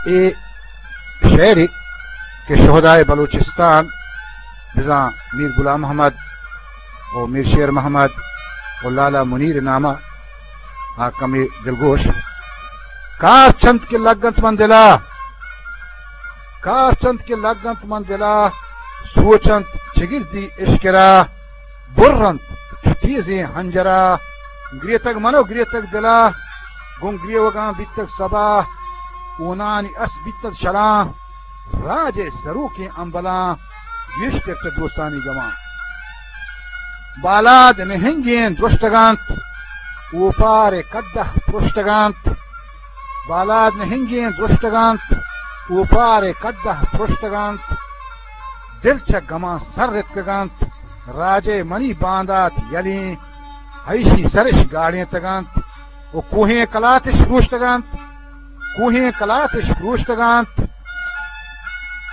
اے شعرے کہ شہدائے بلوچستان بزاں میر غلام محمد و میر شیر محمد و لالا منیر نامہ آ کمے دلگوش۔ کار چنت کہ لگنت من دلا، کار چنت کہ لگنت من دلا، سوچنت چگردی اشکرا، برنت چو تیزیں ہنجرا، گریتگ من و گریتگ دلا، گوں گریوگاں بیتگ سبا، ہونانی اس بیتگ شلاں، راج ء سروکیں امبلاں، گیشتر چہ دوستانی گماں۔ بالاد نہنگیں درشتگانت، اوپار ء کدہ پرشتگانت۔ بالاد نہنگیں درشتگانت، اوپار ء کدہ پرشتگانت۔ دل چہ گماں سر رتکگانت، راج ء منی باندات یلیں، ایشی سرش گاڑینتگانت و کوہیں کلاتش پروشتگانت۔ کوہیں کلاتش پروشتگانت،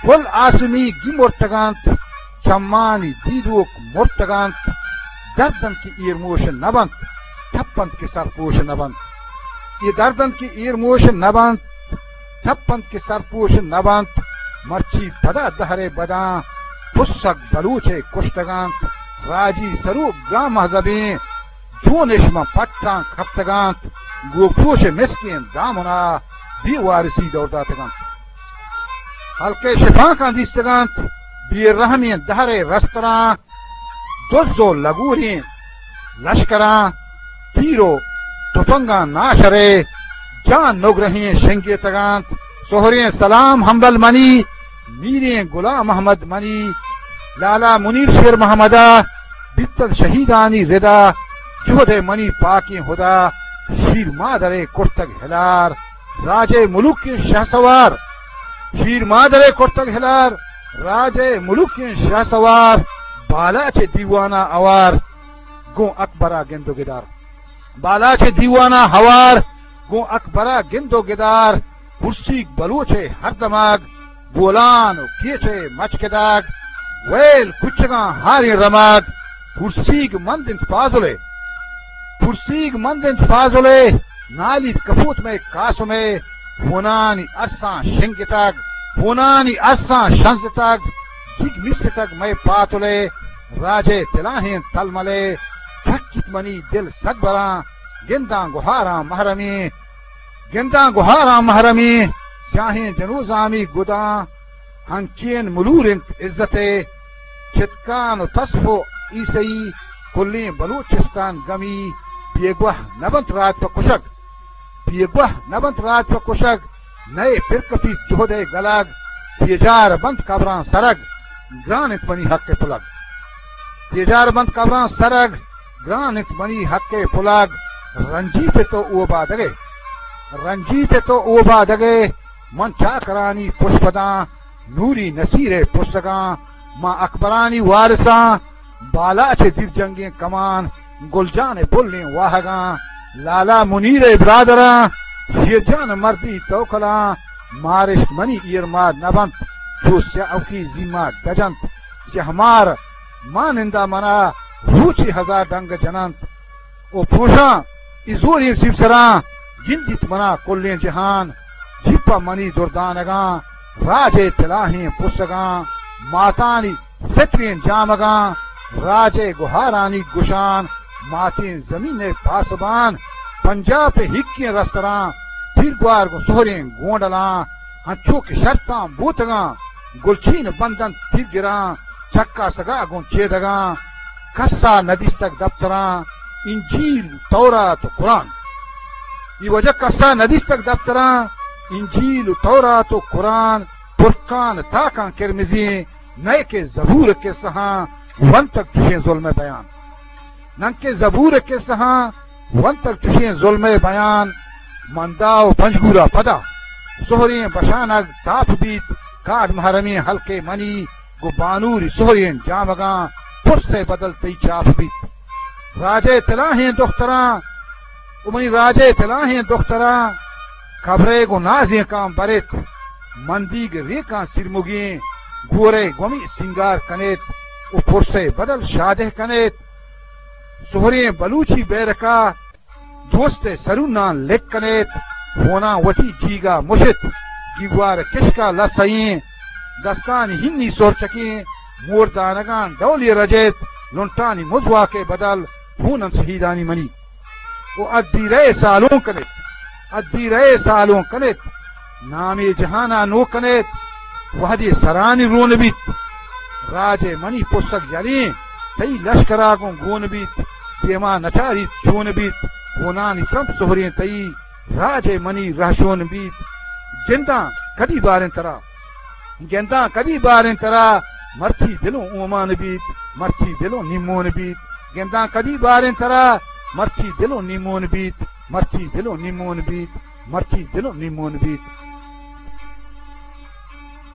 پل آسمی گی مرتگانت، چمانی دیدوک مرتگانت۔ دردنت کہ ایرموش نبنت، ٹپنت کہ سرپوش نبنت۔ اے دردنت کہ ایرموش نبنت، ٹپنت کہ سرپوش نبنت۔ مرچی پدا دہرے بداں، پسگ بلوچے کشتگانت۔ راجی سروک گاں مہذبیں، چونش من پٹاں کپتگانت، گوں پوش مسکیں دامنا بے وارسی دور داتگانت۔ ہلکے شپانکاں دیستگانت، بے رحمیں دہرے رستراں، دز و لگوریں لشکراں، تیر و تپنگاں ناشرے، جان نگرہیں شنگیتگانت۔ سہریں سلام ہمبل منی، میریں غلام محمد منی، لالا منیر شیر محمدا، بیتگ شہیدانی ردا، جہد ء منی پاکیں ہدا، شیر مادر ء کرتگ ہلار، راج ء ملوکیں شہسوار، شیر مادر ء کرتگ ہلار، راج ء ملوکیں شہسوار، بالاچ ء دیوانا اوار، گوں اکبرا گند و گدار۔ بالاچ ء دیوانا ہوار، گوں اکبرا گند و گدار، پرسیگ بلوچ ء ہر دماگ، بولان و کیچ ء مچکداگ، ویل کچگاں ہاریں رماگ، پرسیگ مند انت فاضل ء، پرسیگ مند انت فاضل ء، نالیت کپوت مئے قاسم ء، ہونانی ارساں شنگتگ، ہونانی ارساں شنزتگ، جیگ میستگ مئے پاتل ء، راج ء تلاہیں تلمل ء، تھکیت منی دل سدبراں، گنداں گہاراں محرمیں، گنداں گہاراں محرمیں، سیاہیں جنوزامی گداں، ہنکین ملور انت عزت ء، چتکان و تسپ و عیسئی، کلیں بلوچستان گمی، بیگواہ نبنت راج پہ کشگ، بیگواہ نبنت راج پہ کشگ، نئے پر کپیت جہد ء گلگ، تیجار بنت قبراں سرگ، گران انت منی حق ء پلگ۔ تیجار بنت قبراں سرگ، گران انت منی حق ء پلگ۔ رنجیت تو اوبادگ ء، رنجیت تو اوبادگ ء، من چاکرانی پشپداں، نوری نصیر ء پسگاں، ما اکبرانی وارثاں، بالاچ ء دیر جنگیں کمان، گل جان ء پلیں واہگاں، لالا منیر ء برادراں، شیر جان ء مردی توکلاں، مارشت منی ایرماد نبنت، چو سیاوکی زیما دجنت، سیاہ مار مانندا منا روچی ہزار ڈنگ جننت۔ او پروشاں اے زوریں سیمسراں، گندیت منا کلیں جہان، جیپا منی دردانگاں، راج ء تلاہیں پسگاں، ماتانی ستریں جامگاں، راج ء گہارانی گشان، ماتیں زمین ء پاسبان، پنجاب ء ہکیں رستراں، تیرگوار گوں سہریں گونڈلاں، انچو کہ شرطاں بوتگاں، گلچین بندنت تیرگراں، چکاسگا گوں چیدگاں، کسا ندیستگ دپتراں، انجیل، تورات و قرآن۔ اے وجہ کسا ندیستگ دپتراں، انجیل و تورات و قرآن، پرکان تاکاں کرمزیں، نئے کہ زبور کسہاں ونتگ چشیں ظلم بیان۔ ننکہ زبور کسہاں ونتگ چشیں ظلم بیان، مندا و پنجگورا پدا سہریں بشانگ تاپ بیت، کاڈ محرمیں ہلکے منی، گوں بانوری سہریں جامگاں، پرس ء بدل تئی چاپ بیت۔ راج ء تلاہیں دختراں، و منی راج ء تلاہیں دختراں، کبرے گوں نازینکاں بریت، مندیگ ریکاں سیرمگیں، گورے گومی سینگار کنیت، و پرس ء بدل شادہ کنیت۔ سہریں بلوچی بیرکا دوست ء سروناں لک کنیت، ہوناں وتی جیگا مشت، گیوار کشکا لسئیں، دستانی ہنی سرچکیں، موردانگان ڈولی رجیت، لنٹانی مزواکے بدل، ہونن شہیدانی منی۔ و ادی رئے سالون کنیت، ادی رئے سالون کنیت، نامی جہانا نو کنیت، وہدی سرانی رون بیت۔ راجے منی پسگ یلیں، تئی لشکرا گوں گون بیت، دیما نچاریت چون بیت، ہونانی ترمپ سہریں تئی، راجے منی رہشون بیت۔ گنداں کدی باریں ترا، گنداں کدی باریں ترا، مرچی دلوں اومان بیت، مرچی دلوں نیمون بیت۔ گنداں کدی باریں ترا، مرچی دلوں نیمون بیت، مرچی دلوں نیمون بیت، مرچی دلوں نیمون بیت۔